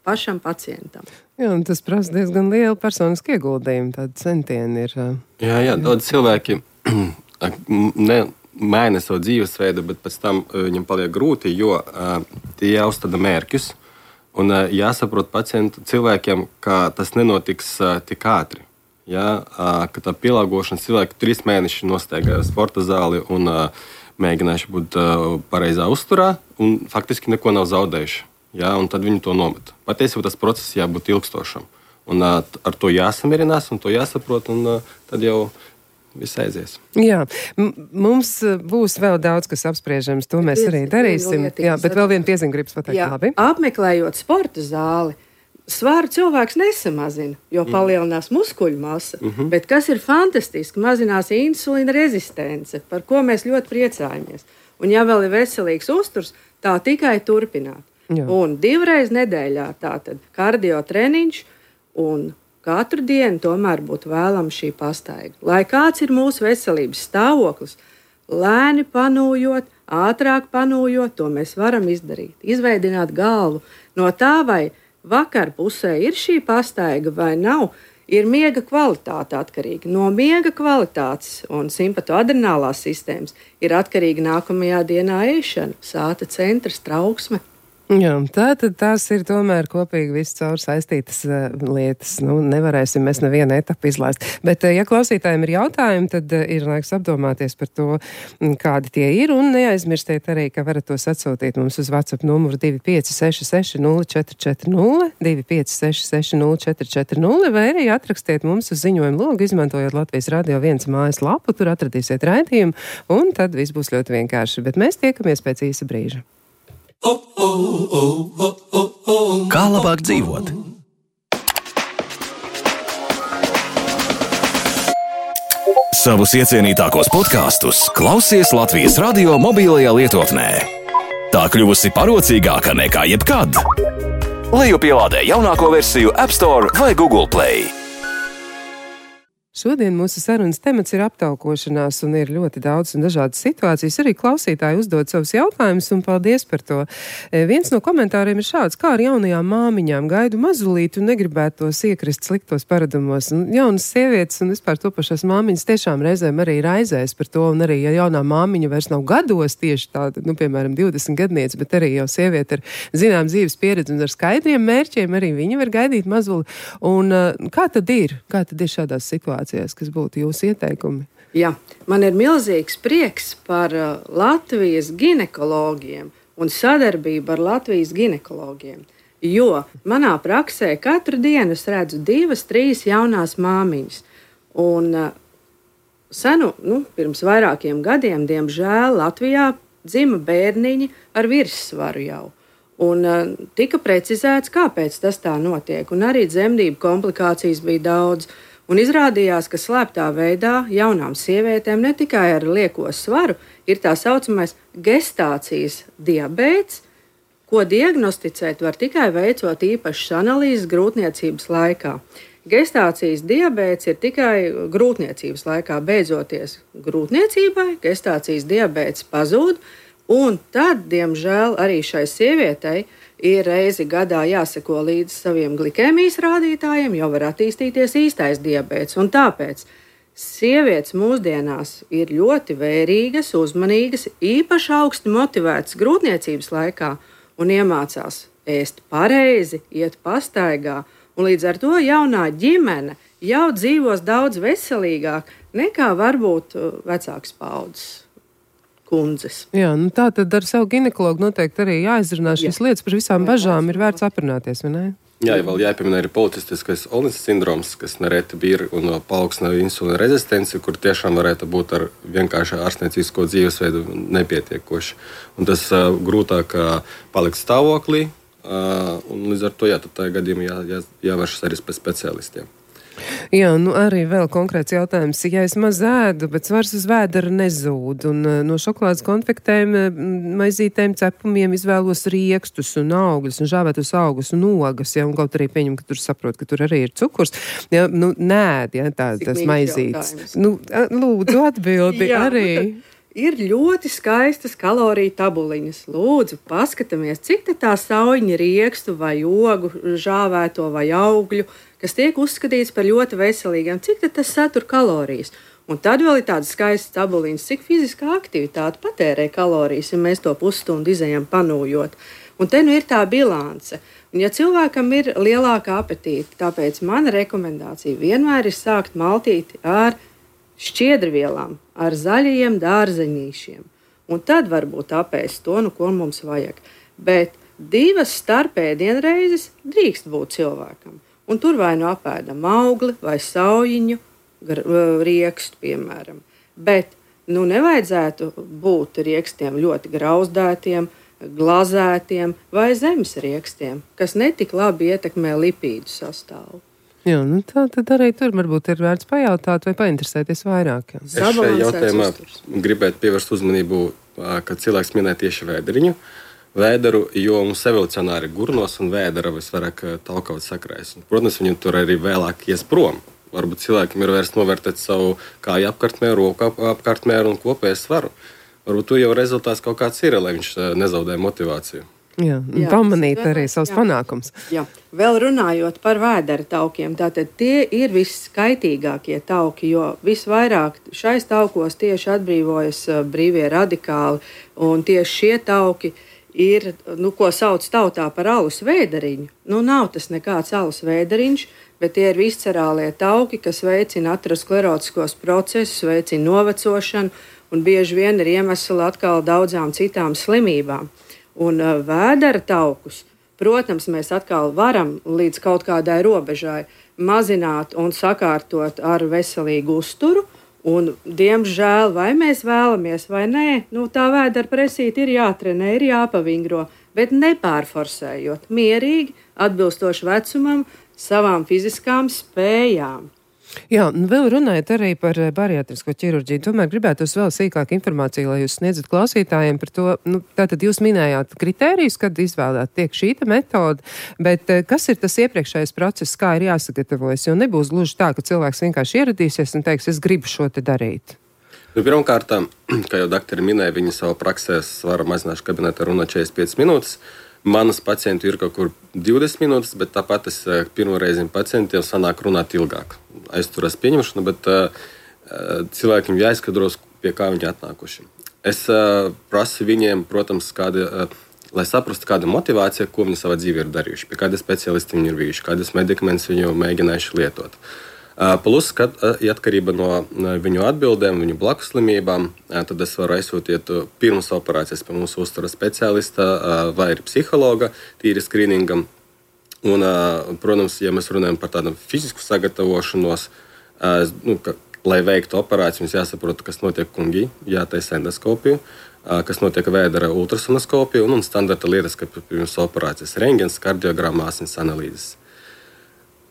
pašam pacientam. Jā, un tas prasa diezgan lielu personisku ieguldījumu, tādi centieni ir. Uh... Jā, jā, daudz cilvēki ne maina savu dzīvesveidu, bet pēc tam uh, viņam paliek grūti, jo uh, tie jāuzstāda mērķus. Un uh, jāsaprot pacientu cilvēkiem, ka tas nenotiks uh, tik ātri. Ja, uh, ka tā pielāgošana cilvēki trīs mēneši nosteigā sporta zāli un uh, mēģinājuši būt uh, pareizā uzturā un faktiski neko nav zaudējuši. Ja, un tad viņi to nomet. Patiesībā tas process jābūt ilgstošam. Un uh, ar to jāsamierinās un to jāsaprot, un uh, tad jau viss aizies. Jā, M mums būs vēl daudz, kas apspriežams, to mēs arī darīsim. Jā, bet vēl viena piezīme gribas pateikt. Jā, labi. Apmeklējot sporta zāli, svaru cilvēks nesamazina, jo palielinās muskuļu masa, mm-hmm. bet kas ir fantastiski, mazinās insulīna rezistence, par ko mēs ļoti priecājamies. Un ja vēl ir veselīgs uzturs, tā tikai turpināt. Jā. Un divreiz nedēļā tātad kardio treniņš un katru dienu tomēr būtu vēlama šī pastaiga. Lai kāds ir mūsu veselības stāvoklis, lēni panūjot, ātrāk panūjot, to mēs varam izdarīt. Izveidināt galvu no tā, vai vakar pusē ir šī pastaiga vai nav, ir miega kvalitāte atkarīga. No miega kvalitātes un simpatoadrenālās sistēmas ir atkarīga nākamajā dienā ēšana, sāta centrs, trauksme. Jā, tā tad tās ir tomēr kopīgi viss caur saistītas uh, lietas. Nu, nevarēsim mēs nevienu etapu izlaist. Bet, uh, ja klausītājiem ir jautājumi, tad uh, ir laiks apdomāties par to, kādi tie ir. Un neaizmirstiet arī, ka varat tos atsūtīt mums uz WhatsApp numuru divi pieci seši seši nulle četri četri nulle, divi pieci seši seši nulle četri četri nulle, vai arī atrakstiet mums uz ziņojumu logu, izmantojot Latvijas Radio viens mājas lapu, tur atradīsiet raidījumu, un tad viss būs ļoti vienkārši. Bet mēs tiekamies pēc īsa brīža. Kā labāk dzīvot? Savus iecienītākos podkastus klausies Latvijas Radio mobilajā lietotnē. Tā kļuvusi parocīgāka nekā jebkad. Lejupielādē jaunāko versiju App Store vai Google Play. Šodien mūsu sarunas temats ir aptaukošanās, un ir ļoti daudz un dažādas situācijas. Arī klausītāji uzdod savus jautājumus, un paldies par to. E, viens no komentāriem ir šāds: kā ar jaunajām māmiņām gaidu mazulīti un negribētu tos iekrist sliktos paradumos. Un jaunas sievietes un vispār topašās māmiņas tiešām reizēm arī raizēs par to, un arī, ja jaunā māmiņa vairs nav gados tieši tāda, nu, piemēram, divdesmit gadniece, bet arī jau sieviete ar zinām dzīves pieredzi un ar skaidriem mērķiem, arī viņa var gaidīt mazuli. Un kā tad ir? Kā tad ir šādās situācijās? Kas būtu jūsu ieteikumi? Jā, man ir milzīgs prieks par uh, Latvijas ginekologiem un sadarbību ar Latvijas ginekologiem, jo manā praksē katru dienu es redzu divas, trīs jaunās māmiņas. Un uh, senu, nu, pirms vairākiem gadiem, diemžēl, Latvijā dzima bērniņi ar virssvaru jau. Un uh, tika precizēts, kāpēc tas tā notiek, un arī dzemdību komplikācijas bija daudz. Un izrādījās, ka slēptā veidā jaunām sievietēm ne tikai ar lieko svaru ir tā saucamais gestācijas diabēts, ko diagnosticēt var tikai veicot īpašas analīzes grūtniecības laikā. Gestācijas diabēts ir tikai grūtniecības laikā. Beidzoties grūtniecībai, gestācijas diabēts pazūd, un tad, diemžēl, arī šai sievietei ir reizi gadā jāseko līdz saviem glikēmijas rādītājiem, jo var attīstīties īstais diabēts. Un tāpēc sievietes mūsdienās ir ļoti vērīgas, uzmanīgas, īpaši augsti motivētas grūtniecības laikā un iemācās ēst pareizi, iet pastaigā Un līdz ar to jaunā ģimene jau dzīvos daudz veselīgāk nekā varbūt vecāks paudzes kundzes. Jā, nu tā tad ar savu ginekologu noteikti arī jāizrunā šīs Jā. lietas, par visām bažām ir vērts aprunāties, vai ne? Jā, ja vēl jāpiemina arī policistiskais Olnijas sindroms, kas nereti bija un paaugstina insulīna rezistenci, kur tiešām varētu būt ar vienkārši ārstniecisko dzīvesveidu nepietiekoši. Un tas uh, grūtāk uh, palikt stāvoklī, uh, un līdz ar to jā, tad tajā gadījumā jā, jā, jāvēršas arī pēc speciālistiem. Jā, nu arī vēl konkrēts jautājums. Ja es maz ēdu, bet svars uz vēdera nezūd, un no šokolādes konfektēm, maizītēm, cepumiem izvēlos riekstus un augļus, un žāvētus augus un ogas, ja, un kaut arī pieņem, ka tur saprot, ka tur arī ir cukurs. Ja, nu, nēd, ja, tā, tas maizītes. Nu, lūdzu, atbildi arī. Ir ļoti skaistas kaloriju tabuliņas. Lūdzu, paskatāmies, cik tā sauņa riekstu vai ogu, žāvēto vai augļu, kas tiek uzskatīts par ļoti veselīgiem, cik tas satur kalorijas. Un tad vēl ir tādas skaistas tabuliņas, cik fiziskā aktivitāte patērē kalorijas, ja mēs to pusstundu izejam panūjot. Un te nu ir tā bilance. Un ja cilvēkam ir lielāka apetīte, tāpēc mana rekomendācija vienmēr ir sākt maltīti ar šķiedrvielām, ar zaļajiem dārzeņīšiem. Un tad varbūt apēst to, nu, ko mums vajag. Bet divas starpēdienreizes drīkst būt cilvēkam. Un tur vai nu apēdam augli vai saujiņu, riekstu, piemēram. Bet nu, nevajadzētu būt riekstiem ļoti grauzdētiem, glazētiem vai zemes riekstiem, kas netik labi ietekmē lipīdu sastāvu. Jā, nu tā tad arī tur varbūt ir vērts pajautāt vai painteresēties vairāk. Jā. Es šajā jautājumā gribētu pievērst uzmanību, ka cilvēks minē tieši vēderiņu. Vēderu, jo mums evolucionāri gurnos un vēdera visvairāk talkavot sakrājas. Protams, viņi tur arī vēlāk ies prom. Varbūt cilvēkiem ir vērts novērtēt savu kāju apkārtmēru, roku apkārtmēru un kopēju svaru. Varbūt tur jau rezultāts kaut kāds ir, lai viņš nezaudē motivāciju. Jā, Jā, pamanīt arī savus jā. panākums. Jā. Vēl runājot par vēdera taukiem, tātad tie ir viskaitīgākie tauki, jo visvairāk šais taukos tieši atbrīvojas brīvie radikāli, un tieši šie tauki ir, nu, ko sauc tautā par alus vēderiņu. Nu, nav tas nekāds alus vēderiņš, bet tie ir viscerālie tauki, kas veicina aterosklerotiskos procesus, veicina novecošanu, un bieži vien ir iemesli atkal daudzām citām slimībām. Un uh, vēdera taukus, protams, mēs atkal varam līdz kaut kādai robežai mazināt un sakārtot ar veselīgu uzturu. Un, diemžēl, vai mēs vēlamies vai nē, nu, tā vēdera presīte ir jātrenē, ir jāpavingro, bet nepārforsējot, mierīgi, atbilstoši vecumam, savām fiziskām spējām. Jā, un vēl runājot arī par bariatrisko ķirurģiju, tomēr gribētos vēl sīkāk informāciju, lai jūs sniedzat klausītājiem par to, nu, tātad jūs minējāt kritērijus, kad izvēlēt tiek šīta metode, bet kas ir tas iepriekšējais process, kā ir jāsagatavojas, jo nebūs gluži tā, ka cilvēks vienkārši ieradīsies un teiks, es gribu šo te darīt. Nu, pirmkārt, kā jau doktori minēja, viņi savā praksē svara mazināšu kabinetā runā četrdesmit piecas minūtes. Manas pacienti ir kaut kur divdesmit minūtes, bet tāpat es pirmo reizi pacientiem sanāk runāt ilgāk. Aizturās pieņemšanu, bet uh, cilvēkiem jāizskatros, pie kā viņi atnākuši. Es uh, prasu viņiem, protams, kāda, uh, lai saprastu, kāda motivācija, ko viņi savā dzīvē ir darījuši, pie kāda speciālisti viņi ir bijuši, kādas medikamentus viņi jau mēģinājuši lietot. Uh, plus, kad uh, atkarība no uh, viņu atbildēm, viņu blakus slimībām, uh, tad es varu aizsūtīt uh, pirms operācijas pie mūsu uzturas speciālista uh, vai ir psihologa tīri skrīningam. Un, uh, protams, ja mēs runājam par tādu fizisku sagatavošanos, uh, nu, ka, lai veiktu operāciju, mums jāsaprot, kas notiek kungī, jātaisa endoskopiju, uh, kas notiek vēdera ultrasonoskopiju un, un standarta lietas, kā pirms operācijas rengens, kardiogramma, asins analīzes.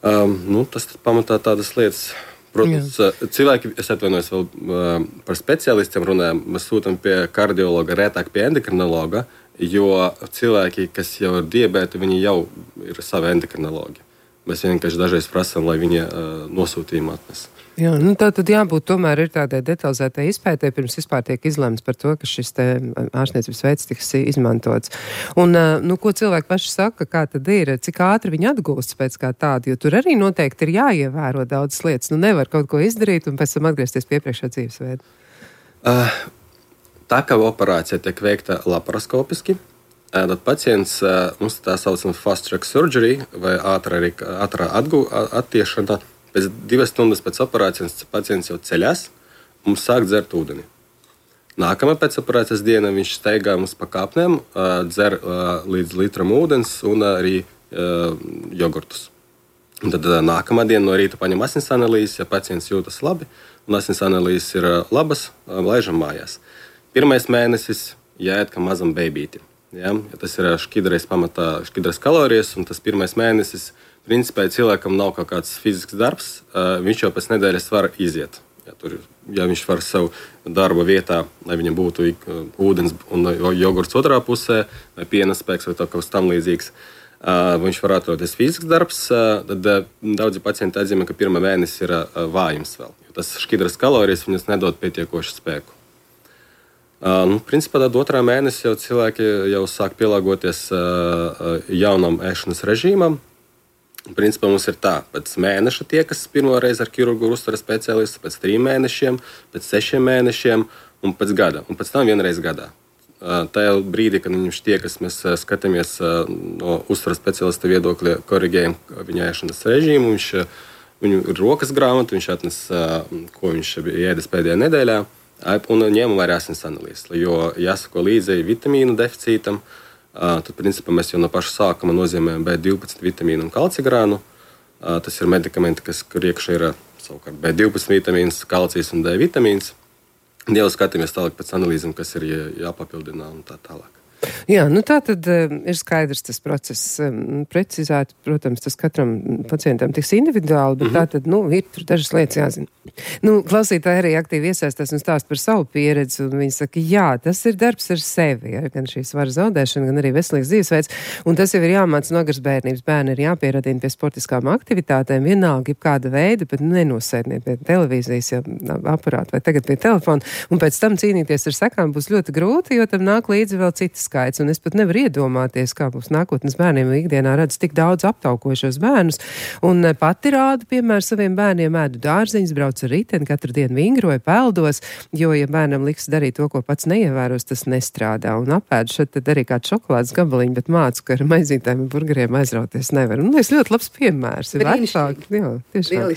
Um, nu, tas pamatā tādas lietas. Protams, Jā. cilvēki, es atvainojos vēl uh, par speciālistiem runājam, mēs sūtam pie kardiologa, rētāk pie endokrinologa, jo cilvēki, kas jau ir diabēti, viņi jau ir savi endokrinologi. Mēs vienkārši dažreiz prasām, lai viņi uh, nosūtījumu atnes. Jā, nu tā tad jābūt tomēr ir tādai detalizētai izpētē, pirms vispār tiek izlemts par to, ka šis te ārstniecības veids tiks izmantots. Un, nu, ko cilvēki paši saka, kā tad ir, cik ātri viņi atgūst pēc kā tādu, jo tur arī noteikti ir jāievēro daudzas lietas. Nu, nevar kaut ko izdarīt un pēc tam atgriezties pie iepriekšējā dzīvesveida. Uh, tā kā operācija tiek veikta laparoskopiski, tad pacients mums tā saucam fast track surgery vai ātrā, ātrā atgu, attiešana. Pēc divas stundas pēc operācijas pacients jau ceļās un sāk dzert ūdeni. Nākamā pēc operācijas diena viņš steigā mums pa kāpnēm, dzer līdz litram ūdens un arī jogurtus. Un tad nākamā diena no rīta paņem asins analīzes, ja pacients jūtas labi un asins analīzes ir labas, laižam mājās. Pirmais mēnesis jāiet kā mazam bebītim. Ja? Ja tas ir šķidrais pamatā, šķidrais kalorijas, un tas pirmais mēnesis, principā, ja cilvēkam nav kaut kāds fizisks darbs, viņš jau pēc nedēļas var iziet. Ja, tur, ja viņš var savu darba vietā, lai viņam būtu ūdens un jogurts otrā pusē, vai piena spēks, vai kaut kas tam līdzīgs, viņš var atroties fizisks darbs, tad daudzi pacienti atzīmē, ka pirmā mēnesis ir vājums vēl. Jo tas šķidras kalorijas viņas nedod pietiekošu spēku. Nu, principā tad otrā mēnesī jau cilvēki jau sāk pielāgoties jaunam ēšanas režīmam. Principā mums ir tā, pēc mēneša tiekas pirmo reizi ar ķirurgu uztveres speciālistu, pēc trim mēnešiem, pēc sešiem mēnešiem un pēc gada, un pēc tam vienreiz gadā. Tajā brīdī, kad viņš tiekas, mēs skatāmies no uztveres speciālista viedokļa, korigējam viņa ēšanas režīmu, viņš, viņu ir rokas grāmata, viņš atnes, ko viņš ēdis pēdējā nedēļā, un ņemam arī asins analīzes, jo jāsako līdzi vitamīnu deficītam. Tad, principā, mēs jau no paša sākuma nozīmējam B divpadsmit vitamīnu un kalcigrānu. Tas ir medikamenti, kas, kur iekšā ir savukārt B divpadsmit vitamīns, kalcijs un D vitamīns. Jau skatāmies tālāk pēc analīzēm, kas ir jāpapildina un tā tālāk. Jā, nu tā tad uh, ir skaidrs tas process. Um, precizēt, protams, tas katram pacientam tiks individuāli, bet mm-hmm. tā tad, nu, ir tur dažas lietas jāzina. Nu, klausītāji arī aktīvi iesaistās un stāst par savu pieredzi, un viņi saka, jā, tas ir darbs ar sevi, ja, gan šī svara zaudēšana, gan arī veselīgs dzīvesveids, un tas jau ir jāmāc no agras bērnības. Bērni ir jāpieradina pie sportiskām aktivitātēm, vienalga kāda veida, bet nenosēdniet pie televīzijas, ja, aparāta vai tagad pie telefona, un pēc tam cīnīties ar sekām būs ļoti grūti, jo tam nāk līdzi vēl citas skaits, un es pat nevaru iedomāties, kā būs nākotnes bērniem ikdienā redz tik daudz aptaukošos bērnus, un pati rādu, piemēram, saviem bērniem ēdu dārziņus, brauc ar riteni, katru dienu vingroju, peldos, jo, ja bērnam liks darīt to, ko pats neievēros, tas nestrādā, un apēdu šeit tad arī kādu šokolādes gabaliņu, bet mācu, ka ar maizītēm un burgeriem aizrauties nevar. Un es ļoti labs piemērs. Ir vecāki. Jā, tiešām.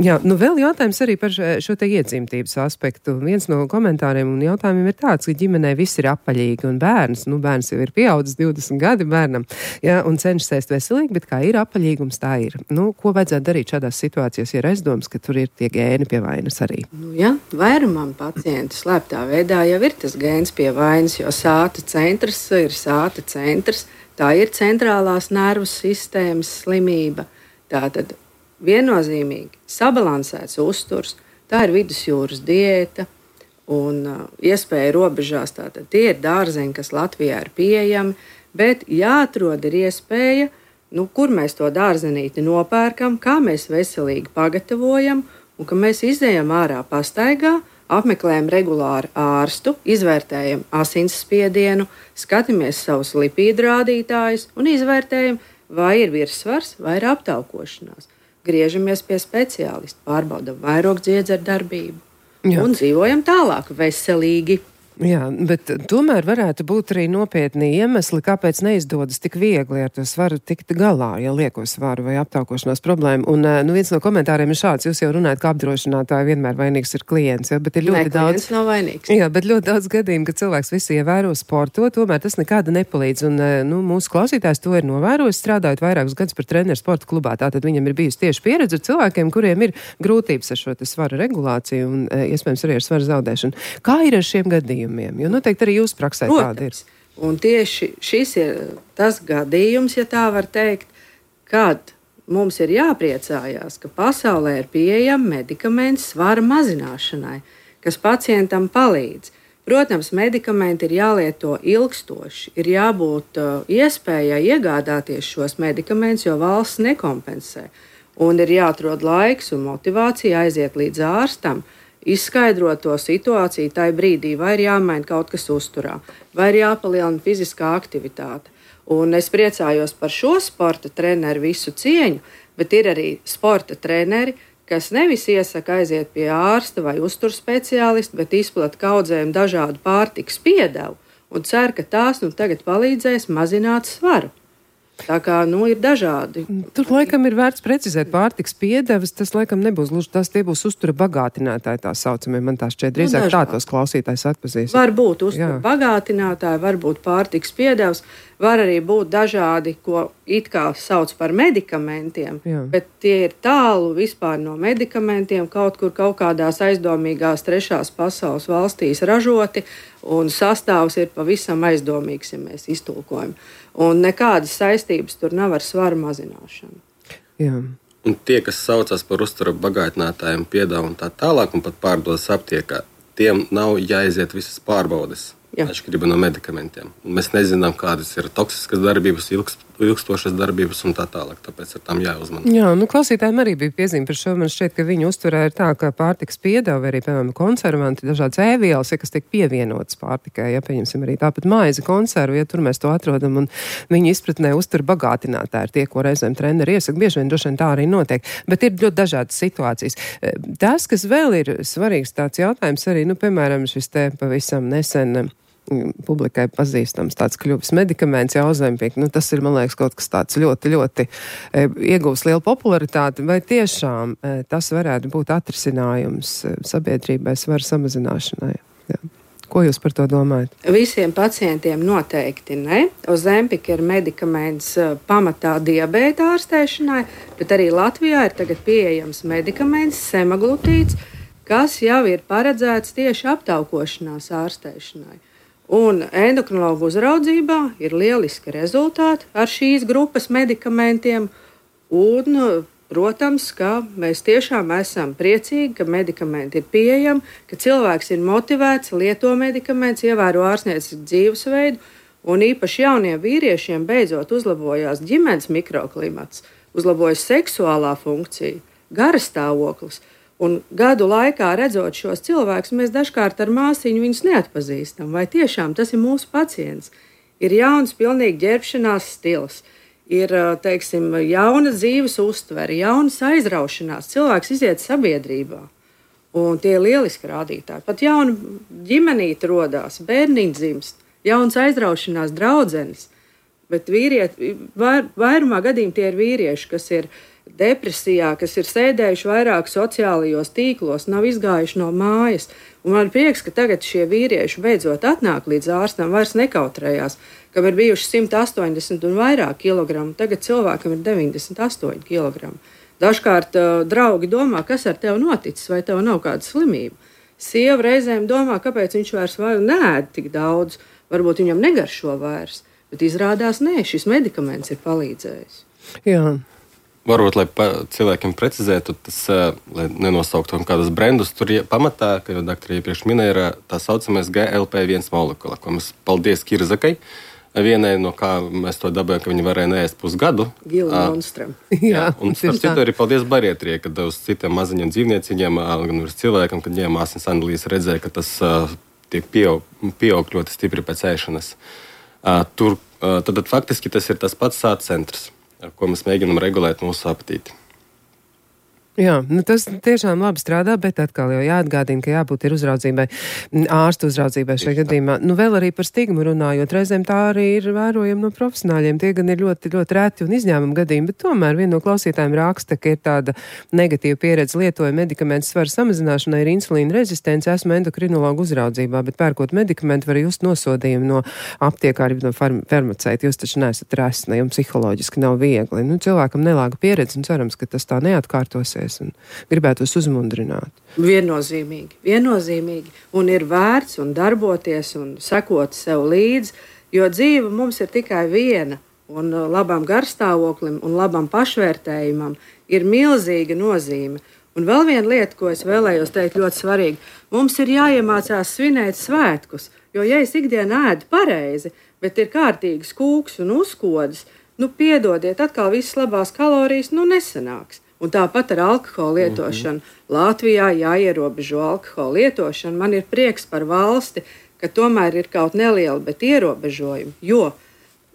Jā, nu vēl jautājums arī par šo te iedzimtības aspektu. Viens no komentāriem un jautājumiem ir tāds, ka ģimenē viss ir apaļīgi un bērns, nu bērns jau ir pieaudzis divdesmit gadi bērnam, jā, un cenšas ēst veselīgi, bet kā ir apaļīgums, tā ir. Nu, ko vajadzētu darīt šādās situācijās, ja ir aizdoms, ka tur ir tie gēni pie vainas arī? Nu, jā, vairumam pacientu slēptā veidā jau ir tas gēns pie vainas, jo sāta centrs ir sāta centrs, tā ir centrālās nervu sistēmas slimība. Tātad viennozīmīgi sabalansēts uzturs, tā ir vidusjūras diēta un uh, iespēja robežās. Tātad tie ir dārzeņi, kas Latvijā ir pieejami, bet jāatrod ir iespēja, nu, kur mēs to dārzenīti nopērkam, kā mēs veselīgi pagatavojam un ka mēs izējam ārā pastaigā, apmeklējam regulāri ārstu, izvērtējam asinsspiedienu, skatāmies savus lipīdu rādītājus un izvērtējam, vai ir virssvars vai ir aptaukošanās. Griežamies pie speciālista, pārbaudam vairogdziedzeru darbību. Jā. Un dzīvojam tālāk veselīgi. Jā, bet tomēr varētu būt arī nopietni iemesli, kāpēc neizdodas tik viegli ar to svaru tikt galā, ja lieko svaru vai aptaukošanās problēmu. Un nu, viens no komentāriem ir šāds, jūs jau runājat, ka apdrošinātāji vienmēr vainīgs ir klients, ja, bet ir ļoti ne, daudz. Nav vainīgs. Jā, bet ļoti daudz gadījumu, ka cilvēks visu ievēro sporto, tomēr tas nekāda nepalīdz. Un nu, mūsu klausītājs to ir novērojis, strādājot vairākus gadus par treneru sporta klubā. Tātad viņam ir bijusi tieši pieredze ar cilvēkiem, kuriem ir grūtības ar šo svaru regulāciju un iespējams arī ar svaru zaudēšanu. Kā ir ar šiem gadījumiem? Jo noteikti arī jūs praksē tāda ir. Un tieši šis ir tas gadījums, ja tā var teikt, kad mums ir jāpriecājās, ka pasaulē ir pieejami medikamenti svara mazināšanai, kas pacientam palīdz. Protams, medikamenti ir jālieto ilgstoši, ir jābūt uh, iespējai iegādāties šos medikamentus, jo valsts nekompensē. Un ir jāatrod laiks un motivācija aiziet līdz ārstam, izskaidrot to situāciju tajā brīdī, vai ir jāmaina kaut kas uzturā, vai ir jāpalielina fiziskā aktivitāte. Un es priecājos par šo sporta treneru visu cieņu, bet ir arī sporta treneri, kas nevis iesaka aiziet pie ārsta vai uzturs speciālista, bet izplata kaudzējumu dažādu pārtikas piedevu un cer, ka tās nu tagad palīdzēs mazināt svaru. Tā kā, nu, ir dažādi. Tur laikam ir vērts precizēt pārtikas piedevas, tas laikam nebūs gluži tas, tie būs uztura bagātinātāji tā saucamie, man tā šķiet drīzāk nu, tā tos klausītājs atpazīs. Var būt uztura bagātinātāji, var būt pārtikas piedevas, var arī būt dažādi, ko it kā sauc par medikamentiem, Jā. bet tie ir tālu vispār no medikamentiem, kaut kur kaut kādās aizdomīgās trešās pasaules valstīs ražoti, un sastāvs ir pavisam aizdomīgs, ja mēs iztulkojam. Un nekādas saistības tur nav ar svaru mazināšanu. Jā. Un tie, kas saucas par uzturu bagātinātājiem, piedāvā un tā tālāk, un pat pārdodas aptiekā, tiem nav jāiziet visas pārbaudes. Atšķirība no medikamentiem. Un mēs nezinām, kādas ir toksiskas darbības, ilgst, ilgstošas darbības un tā tālāk. Tāpēc ar tām jāuzmanās. Jā, nu klausītājiem arī bija piezīme par šo. Man šķiet, ka viņu uzturē ir tā, ka pārtikas piedāvā arī, piemēram, konservanti, dažādas ēvielas, ja, kas tiek pievienotas pārtikai. Ja, pieņemsim arī tāpat maize konservu, ja tur mēs to atrodam, un viņu izpratnē uztur bagātinātāji ir tie, ko reizēm treneri iesaka. Bieži vien droši vien tā arī notiek. Bet ir ļoti dažādas situācijas. Tas, kas vēl ir svarīgs tāds jautājums arī, nu, piemēram, šis te pavisam nesen publikai pazīstams tāds kļuvis medikaments, jau Ozempic, nu tas ir, man liekas, kaut kas tāds ļoti, ļoti e, iegūs lielu popularitāti, vai tiešām e, tas varētu būt atrisinājums e, sabiedrībai svaru samazināšanai? Jā. Ko jūs par to domājat? Visiem pacientiem noteikti ne. Ozempic ir medikaments e, pamatā diabēta ārstēšanai, bet arī Latvijā ir tagad pieejams medikaments semaglutīds, kas jau ir paredzēts tieši aptaukošanās ārstēšanai. Un endokrinologu uzraudzībā ir lieliski rezultāti ar šīs grupas medikamentiem. Un, protams, ka mēs tiešām esam priecīgi, ka medikamenti ir pieejami, ka cilvēks ir motivēts, lieto medikamentus, ievēro ārstniecisku dzīvesveidu. Un īpaši jauniem vīriešiem beidzot uzlabojās ģimenes mikroklimats, uzlabojas seksuālā funkcija, garastāvoklis. Un gadu laikā redzot šos cilvēkus, mēs dažkārt ar māsiņu viņus neatpazīstam. Vai tiešām tas ir mūsu pacients? Ir jauns, pilnīgi ģērbšanās stils, ir, teiksim, jauna dzīves uztvere, jaunas aizraušanās. Cilvēks iziet sabiedrībā, un tie ir lieliski rādītāji. Pat jauna ģimenīte rodās, bērniņš dzimst, jauns aizraušanās draudzenes. Bet vīrieti, vair, vairumā gadījumā tie ir vīrieši, kas ir depresijā, kas ir sēdējuši vairāk sociālajos tīklos, nav izgājuši no mājas. Un man ir prieks, ka tagad šie vīrieši beidzot atnāk līdz ārstam, vairs nekautrējās, kam ir bijuši simt astoņdesmit un vairāk kilogramu, tagad cilvēkam ir deviņdesmit astoņi kilogrami. Dažkārt uh, draugi domā, kas ar tevi noticis, vai tev nav kāda slimība. Sieva reizēm domā, kāpēc viņš vairs neēd tik daudz, varbūt viņam negaršo vairs, bet izrādās, nē, šis medikaments ir palīdzējis. Jā. Varbūt, lai pa, cilvēkiem precizētu, tas, lai nenosauktu kādus brendus, tur pamatā, ka jau doktori iepriekš minēja, ir tā saucamais G L P viens molekula, ko mēs paldies Kirzakai, vienai, no kā mēs to dabējam, ka viņi varēja neēst pusgadu. Gila monstram. Jā, un starp citu arī paldies barietrie, kad uz citiem maziņiem dzīvnieciņiem, gan uz cilvēkam, kad ņēma asins analīzes, redzēja, ka tas tiek pieaug, pieaug ļoti stipri pēc ēšanas. Tur, tad, tad faktiski tas ir tas pats sāta centrs, ar ko mēs mēģinām regulēt mūsu apetīti. Jā, nu tas tiešām labi strādā, bet atkal jau jāatgādina, ka jābūt ir uzraudzībai, ārstu uzraudzībai šajā gadījumā. Nu vēl arī par stigmu runājot, reizēm tā arī ir vērojama no profesionāļiem. Tie gan ir ļoti, ļoti reti un izņēmumi gadījumi, bet tomēr viena no klausītājiem raksta, ka ir tāda negatīva pieredze lietoja medikamentu svaru samazināšanai, ir insulīna rezistence, esmu endokrinologu uzraudzībā, bet pērkot medikamentu var just nosodījumu no aptiekāri, no farm, farmaceita. Jūs taču neesat resni un psiholoģiski nav viegli. Nu, cilvēkam nelāga pieredze un cerams, ka tas tā neatkārtosies. Un gribētu jūs uzmundrināt. Viennozīmīgi, viennozīmīgi. Un ir vērts un darboties un sekot sev līdzi, jo dzīve mums ir tikai viena. Un labam garstāvoklim un labam pašvērtējumam ir milzīga nozīme. Un vēl viena lieta, ko es vēlējos teikt ļoti svarīgi, mums ir jāiemācās svinēt svētkus. Jo, ja es ikdienā ēdu pareizi, bet ir kārtīgs kūks un uzkodas, nu piedodiet, atkal visas labās kalorijas, nu nesanāks. Un tāpat ar alkohola lietošanu. Mm-hmm. Latvijā jāierobežo alkohola lietošanu. Man ir prieks par valsti, ka tomēr ir kaut neliela, bet ierobežojumi. Jo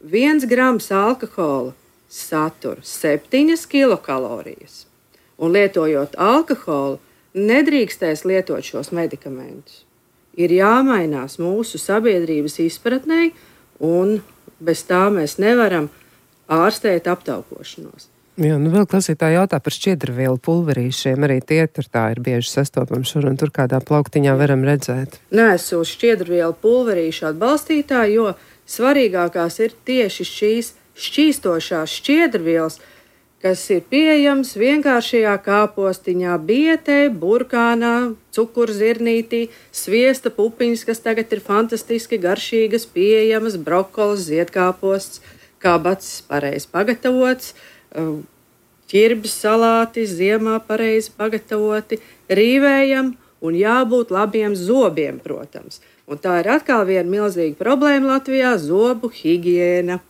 viens grams alkohola satur septiņas kilokalorijas. Un lietojot alkoholu, nedrīkstēs lietot šos medikamentus. ir jāmainās mūsu sabiedrības izpratnei, un bez tā mēs nevaram ārstēt aptaukošanos. Jā, nu vēl klausītāji jautā par šķiedrvielu pulverīšiem. Arī tie tur tā ir bieži sastopami šur un tur kādā plauktiņā varam redzēt. Neesmu šķiedrvielu pulverīšu atbalstītāji, jo svarīgākās ir tieši šīs šķīstošās šķiedrvielas, kas ir pieejams vienkāršajā kāpostiņā, bietē, burkānā, cukurzirnītī, sviesta pupiņas, kas tagad ir fantastiski garšīgas, pieejamas, brokolis, ziedkāposts, kabacis pareizi pagatavots, ķirbis salāti ziemā pareizi pagatavoti, rīvējam un jābūt labiem zobiem, protams. Un tā ir atkal viena milzīga problēma Latvijā - zobu higiēna.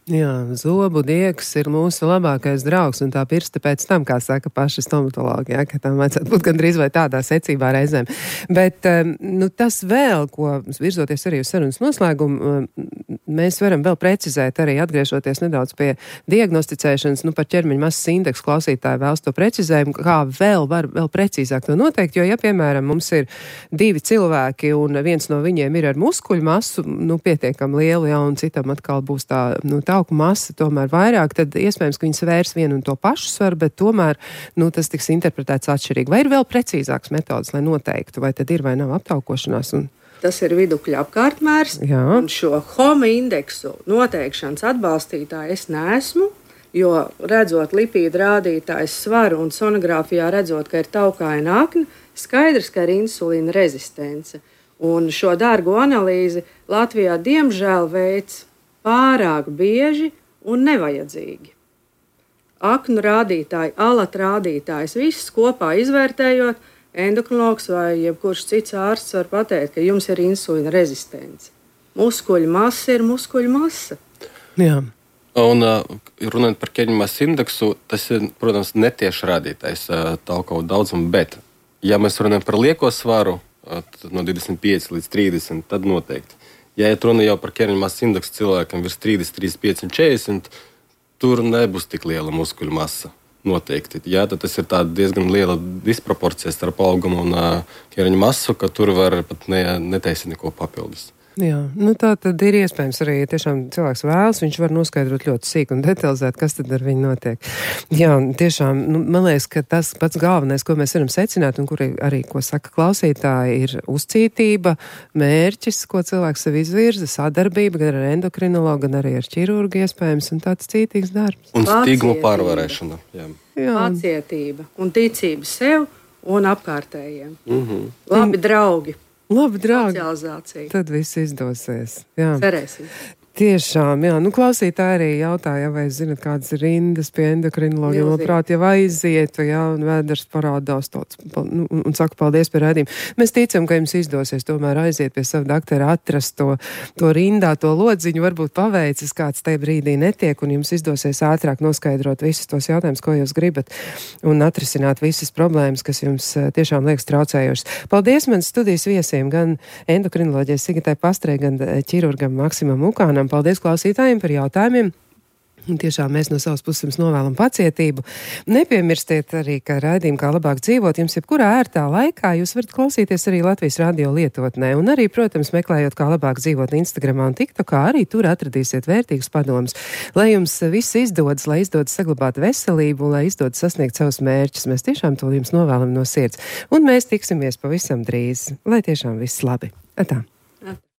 Jā, zobu diegs ir mūsu labākais draugs, un tā pirsta pēc tam, kā saka paši stomatologi, ja, ka tam vajadzētu būt gandrīz vai tādā secībā reizēm. Bet nu, tas vēl, ko virzoties arī uz sarunas noslēgumu, mēs varam vēl precizēt, arī atgriežoties nedaudz pie diagnosticēšanas, nu par ķermeņa masas indeksu klausītāji vēlas to precizējumu, kā vēl var vēl precīzāk to noteikt, jo, ja, piemēram, mums ir divi cilvēki, un viens no viņiem ir ar muskuļu masu, nu, pietiekam lielu, ja, un citam atkal būs tā, nu, tā tauku masa tomēr vairāk, tad iespējams, ka viņi svērs vienu un to pašu svaru, bet tomēr nu, tas tiks interpretēts atšķirīgi. Vai ir vēl precīzāks metodas, lai noteiktu, vai tad ir vai nav aptaukošanās? Un... Tas ir vidukļa apkārtmērs, Jā. Un šo homa indeksu noteikšanas atbalstītāju es neesmu, jo redzot lipīdu rādītājs svaru un sonogrāfijā redzot, ka ir taukaina akna, skaidrs, ka ir insulīna rezistence. Un šo dārgo analīzi Latvijā diemžēl veids pārāk bieži un nevajadzīgi. Aknu rādītāji, alata rādītājs, viss kopā izvērtējot, endokrinologs vai jebkurš cits ārsts var pateikt, ka jums ir insulīna rezistence. Muskuļu masa ir muskuļu masa. Jā. Un runājot par ķermeņa masas indeksu, tas ir, protams, netieši rādītājs tauku daudzumu, bet, ja mēs runājam par lieko svaru, no divdesmit pieci līdz trīsdesmit, tad noteikti. Ja ir runa jau par ķermeņa masas indeksu cilvēkam virs trīsdesmit, trīsdesmit pieci un četrdesmit, tur nebūs tik liela muskuļu masa. Noteikti. Jā, tad tas ir diezgan liela disproporcija starp augumu un uh, ķermeņa masu, ka tur var pat ne, netaisīt neko papildus. Jā, nu tā tad ir iespējams arī tiešām cilvēks vēlas, viņš var noskaidrot ļoti sīk un detalizēt, kas tad ar viņu notiek. Jā, tiešām, nu, man liekas, ka tas pats galvenais, ko mēs varam secināt un kur arī, ko saka klausītāji, ir uzcītība, mērķis, ko cilvēks sev izvirza, sadarbība gan ar endokrinologu, gan arī ar ķirurgu iespējams, un tāds cītīgs darbs. Un stigmu pārvarēšana. Jā. Jā. Pacietība un ticība sev un apkārtējiem. Mm-hmm. Labi draugi. Labi, draugi. Socializācija. Tad viss izdosies. Jā. Cerēsim. Tiešām, jā. Nu, klausītāji arī jautāja, vai zinat, kādas ir rindas pie endokrinologiem. Labprāt, jau aizietu, jā, un vēders parādās tāds, nu, un, un saka paldies par rādījumu. Mēs ticam, ka jums izdosies tomēr aiziet pie sava doktora, atrast to, to rindā, to lodziņu, varbūt paveicis, kāds tajā brīdī netiek, un jums izdosies ātrāk noskaidrot visus tos jautājumus, ko jūs gribat, un atrisināt visas problēmas, kas jums tiešām liekas traucējošas. Paldies manas studijas viesiem, gan endokrinoloģijai Sigitai Pastrei, gan ķirurgam Maksimam Mukānam. Paldies klausītājiem par jautājumiem. Un tiešām mēs no savas puses jums novēlam pacietību. Nepiemirstiet arī, ka raidījumu Kā labāk dzīvot jums jebkurā ērtā laikā jūs varat klausīties arī Latvijas radio lietotnē. Un arī, protams, meklējot Kā labāk dzīvot Instagramā un TikTokā, arī tur atradīsiet vērtīgus padomus. Lai jums viss izdodas, lai izdodas saglabāt veselību un lai izdodas sasniegt savus mērķus. Mēs tiešām to jums novēlam no sirds. Un mēs tiksimies pavisam drīz. Lai tiešām viss labi. Atā.